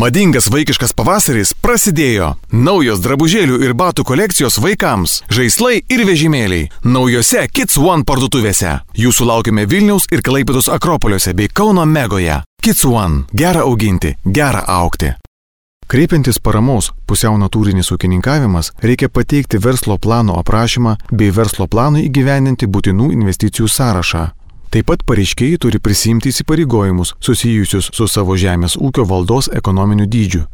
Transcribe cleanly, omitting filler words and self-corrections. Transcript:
Madingas vaikiškas pavasaris prasidėjo. Naujos drabužėlių ir batų kolekcijos vaikams, žaislai ir vežimėliai. Naujose Kids One parduotuvėse. Jūsų laukiame Vilniaus ir Klaipėdos Akropoliuose bei Kauno Megoje. Kids One. Gera auginti, gera augti. Kreipiantis paramos pusiau natūrinis ūkininkavimas, reikia pateikti verslo plano aprašymą bei verslo planui įgyvendinti būtinų investicijų sąrašą. Taip pat pareiškėjai turi prisiimti įsipareigojimus susijusius su savo žemės ūkio valdos ekonominiu dydžiu.